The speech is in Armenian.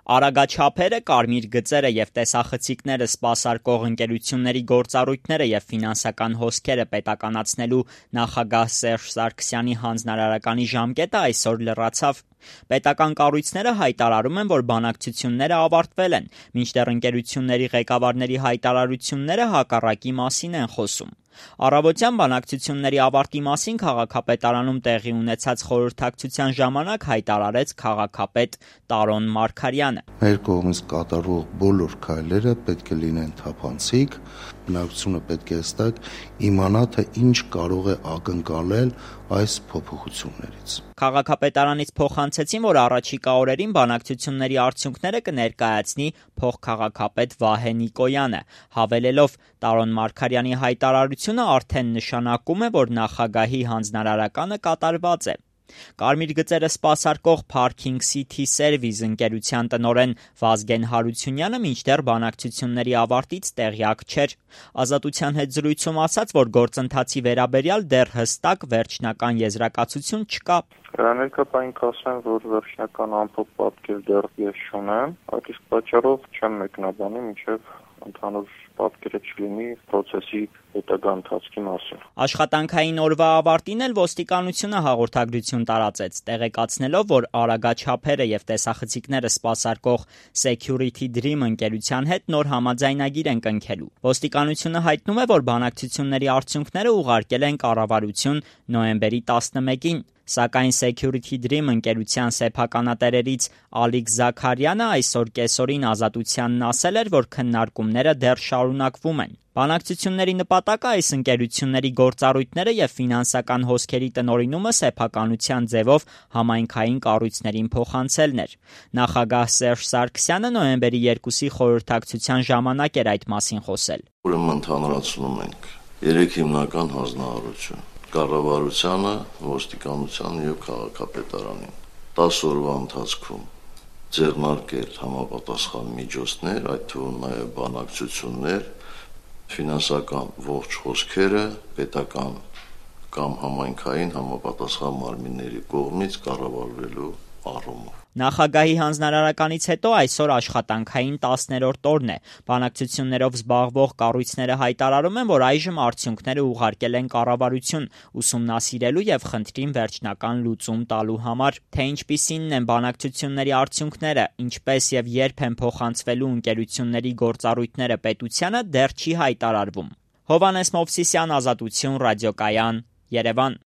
Արագաչափերը, կարմիր գծերը և տեսախցիկները սպասարկող ընկերությունների գործառույթները և ֆինանսական հոսքերը պետականացնելու նախագահ Սերժ Սարգսյանի հանձնարարականի ժամկետը այսօր լրացավ։ Պետական կառույցները հայտարարում են, որ բանակցությունները ավարտվել են, մինչդեռ ընկերությունների ղեկավարների հայտարարությունները հակառակի մասին են խոսում։ Առավոտյան բանակցությունների ավարտի մասին քաղաքապետարանում տեղի ունեցած խորհրդակցության ժամանակ հայտարարեց քաղաքապետ Տարոն Մարգարյանը։ Մեր կողմից կատարվող բոլոր քայլերը պետք է լինեն թափանցիկ, բնակչությունը պետք է հստակ իմանա, թե ինչ կարող է ակնկալել այս փոփոխություններից։ Քաղաքապետարանից փոխանցեցին, որ առաջիկա օրերին բանակցությունների արդյունքները կներկայացնի փոխքաղաքապետ Վահե Նիկոյանը, հավելելով Տարոն Մարգարյանի հայտարարությունը արդեն նշանակում է, որ նախագահի հանձնարարականը կատարված է։ Կարմիր գծերը սպասարկող Parking City Service ընկերության տնօրեն Վազգեն Հարությունյանը մինչդեռ բանակցությունների ավարտից տեղյակ չէր։ Ազատության հետ զրույցում ասաց, որ գործընթացի վերաբերյալ դեռ հստակ վերջնական եզրակացություն չկա։ Ներկայացին կասեմ, որ վերջնական ամփոփ պատկեր դեռ ես չունեմ, այդ իսկ պատճառով չեմ մեկնաբանի, մինչև ընդհանուր պատկերը չլինի process-ի հետագա ընթացքի մասին։ Աշխատանքային օրվա ավարտին էլ ոստիկանությունը հաղորդագրություն տարածեց, տեղեկացնելով, որ արագաչափերը և տեսախցիկները սպասարկող Security Dream ընկերության հետ նոր համաձայնագիր են կնքելու։ Ոստիկանությունը հայտնում է, որ բանակցությունների արդյունքները ուղարկել են կառավարություն նոյեմբերի 11-ին։ Սակայն Security Dream ընկերության սեփականատերերից Ալիկ Զաքարյանը այսօր կեսօրին Ազատությանն ասել էր, որ քննարկումները դեռ շարունակվում են։ Բանակցությունների նպատակը այս ընկերությունների գործառույթները և ֆինանսական հոսքերի տնօրինումը սեփականության ձևով համայնքային կառույցներին փոխանցելն էր։ Նախագահ Սերժ Սարգսյանը նոյեմբերի 2-ի խորհրդակցության ժամանակ էր այդ մասին խոսել։ Ուրեմն ընդհանրացնում ենք 3 հիմնական հանձնարարություն՝ կառավարությանը, ոստիկանությանը և քաղաքապետարանին 10 օրվա ընթացքում ձեռնարկել համապատասխան միջոցներ, այդ թվում նաև բանակցություններ, ֆինանսական ողջ հոսքերը պետական կամ համայնքային համապատասխան մարմինների կողմից կառավարվելու առումով։ Նախագահի հանձնարարականից հետո այսօր աշխատանքային 10-րդ օրն է։ Բանակցություններով զբաղվող կառույցները հայտարարում են, որ այժմ արդյունքները ուղարկել են կառավարություն ուսումնասիրելու և խնդրին վերջնական լուծում տալու համար։ Թե ինչպիսինն են բանակցությունների արդյունքները, ինչպես և երբ են փոխանցվելու ընկերությունների գործառույթները պետությանը, դեռ չի հայտարարվում։ Հովհաննես Մովսիսյան, Ազատություն, Ռադիոկայան, Երևան։